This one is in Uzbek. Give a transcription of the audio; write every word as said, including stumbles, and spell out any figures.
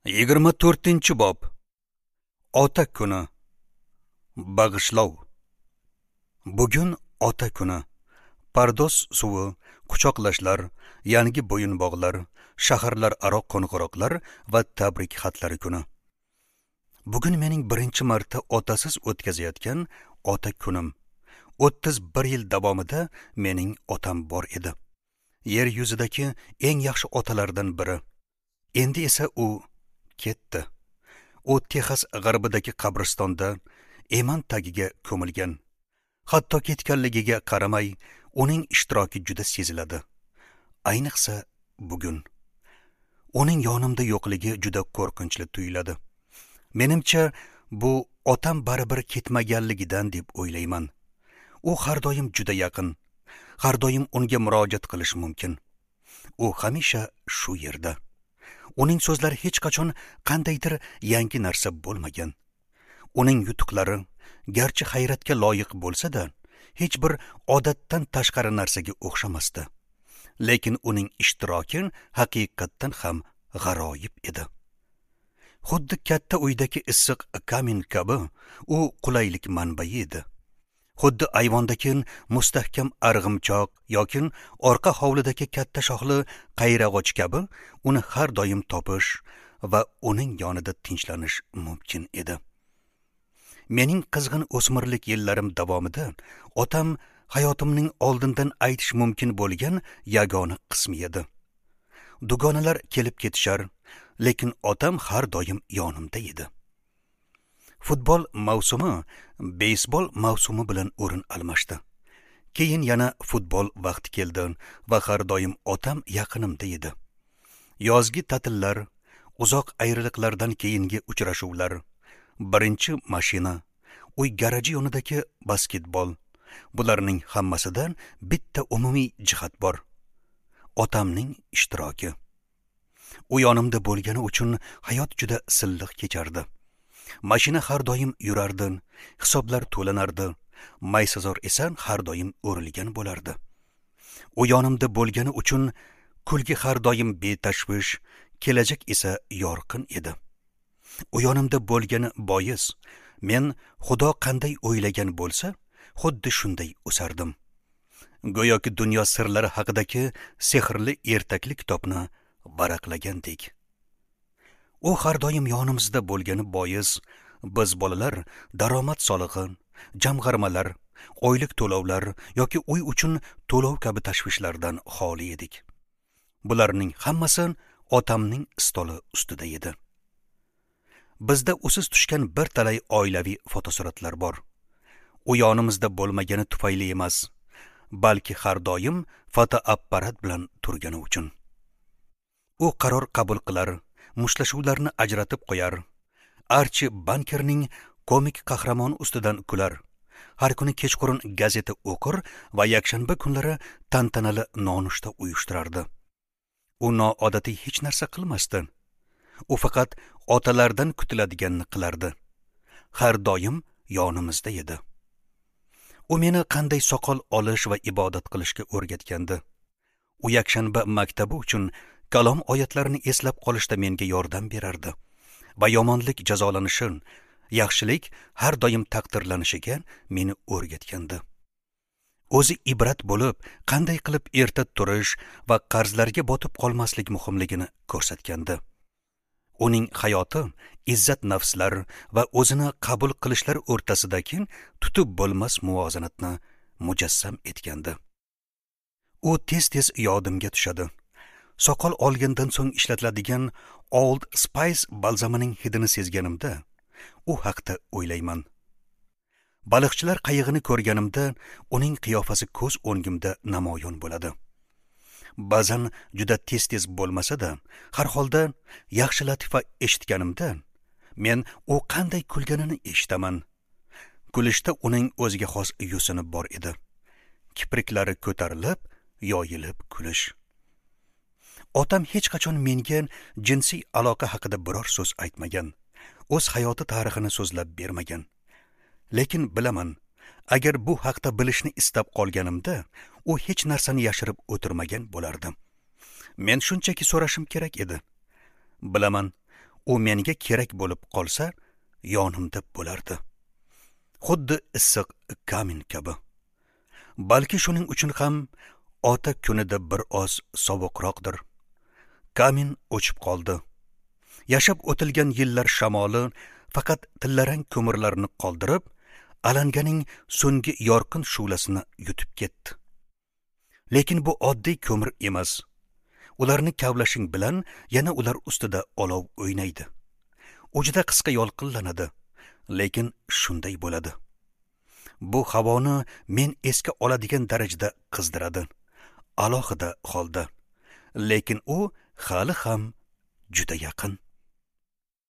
Yigirma to'rtinchi bob. Ota kuni. Bag'ishlov. Bugun ota kuni. Pardoz suvi, quchoqlashlar, yangi bo'yinbog'lar, shaharlararo qo'ng'iroqlar va tabrik xatlari kuni. Bugun mening birinchi marta otasiz o'tkazayotgan ota kunim. o'ttiz bir yil davomida mening otam bor edi. Yer yuzidagi eng yaxshi otalardan biri. Endi esa u ketdi. U Texas g'arbidagi qabristonda eman tagiga ko'milgan. Hatto ketganligiga qaramay, uning ishtiroki juda seziladi. Ayniqsa bugun. Uning yonimda yo'qligi juda qo'rqinchli tuyuladi. Menimcha, bu otam baribir ketmaganligidan deb o'ylayman. U har doim juda yaqin. Har doim unga murojaat qilish mumkin. U hamisha shu yerda. Uning so'zlari hech qachon qandaydir yangi narsa bo'lmagan. Uning yutuqlari garchi hayratga loyiq bo'lsa-da, hech bir odatdan tashqari narsaga o'xshamasdi. Lekin uning ishtiroki haqiqatdan ham g'aroyib edi. Xuddi katta uydagi issiq kamin kabi u qulaylik manbai edi. Xuddi ayvondagi mustahkam arg'imchoq yoki orqa hovlidagi katta shoxli qayrag'och kabi uni har doim topish va uning yonida tinchlanish mumkin edi. Mening qizg'in o'smirlik yillarim davomida otam hayotimning oldindan aytish mumkin bo'lgan yagona qismi edi. Dugonalar kelib ketishar, lekin otam har doim yonimda edi. Futbol mavsumi beysbol mavsumi bilan o'rin almashdi. Keyin yana futbol vaqti keldi va har doim otam yaqinimda edi. Yozgi ta'tillar, uzoq ayriliqlardan keyingi uchrashuvlar, birinchi mashina, uy garaji yonidagi basketbol, bularning hammasidan bitta umumiy jihat bor. Otamning ishtiroki. U yonimda bo'lgani uchun hayot juda silliq kechardi. Mashina har doim yurardi, hisoblar to'lanardi, maysazor esa har doim o'rilgan bo'lardi. U yonimda bo'lgani uchun kulgi har doim betashvish, kelajak esa yorqin edi. U yonimda bo'lgani bois, men Xudo qanday o'ylagan bo'lsa, xuddi shunday o'sardim. Go'yoki dunyo sirlari haqidagi sehrli ertakli kitobni varaqlagandek. U har doim yonimizda bo'lgani bois, biz bolalar daromad solig'i, jamg'armalar, oylik to'lovlar yoki uy uchun to'lov kabi tashvishlardan xoli edik. Bularning hammasi otamning stoli ustida edi. Bizda usiz tushgan bir talay oilaviy fotosuratlar bor. U yonimizda bo'lmagani tufayli emas, balki har doim fotoapparat bilan turgani uchun. U qaror qabul qilar, mushlashuvlarni ajratib qo'yar. Archie Bankerning komik qahramoni ustidan kular. Har kuni kechqurun gazeta o'qir va yakshanba kunlari tantanali nonushta uyushtirardi. U noodatiy hech narsa qilmasdi. U faqat otalardan kutiladiganini qilardi. Har doim yonimizda edi. U meni qanday soqol olish va ibodat qilishga o'rgatgandi. U yakshanba maktabi uchun kalom oyatlarini eslab qolishda menga yordam berardi va yomonlik jazolanishi, yaxshilik har doim taqdirlanishiga meni o'rgatgandi. O'zi ibrat bo'lib, qanday qilib erta turish va qarzlarga botib qolmaslik muhimligini ko'rsatgandi. Uning hayoti izzat nafslar va o'zini qabul qilishlar o'rtasidagi tutib bo'lmas muvozanatni mujassam etgandi. U tez-tez yodimga tushadi. Soqol olgandan so'ng ishlatiladigan Old Spice balzamining hidini sezganimda u haqda o'ylayman. Baliqchilar qayig'ini ko'rganimda uning qiyofasi ko'z o'ngimda namoyon bo'ladi. Ba'zan juda tez-tez bo'lmasa-da, har holda yaxshi latifa eshitganimda men u qanday kulganini eshitaman. Kulishda uning o'ziga xos yusini bor edi. Kipriklari ko'tarilib, yoyilib kulish. Otam hech qachon menga jinsiy aloqa haqida biror so'z aytmagan. O'z hayoti tarixini so'zlab bermagan. Lekin bilaman, agar bu haqda bilishni istab qolganimda, u hech narsani yashirib o'tirmagan bo'lardi. Men shunchaki so'rashim kerak edi. Bilaman, U menga kerak bo'lib qolsa, yonimda bo'lardi. Xuddi issiq kamin kabi. Balki shuning uchun ham ota kunida bir oz sovuqroqdir. Kamin o'chib qoldi. Yashab o'tilgan yillar shamoli faqat tillarang ko'mirlarni qoldirib, alanganing so'nggi yorqin shu'lasini yutib ketdi. Lekin bu oddiy ko'mir emas. Ularni kavlashing bilan yana ular ustida olov o'ynaydi. U juda qisqa yolqinlanadi, lekin shunday bo'ladi. Bu havoni men esga oladigan darajada qizdiradi. Alohida holda. Lekin u hali ham juda yaqin.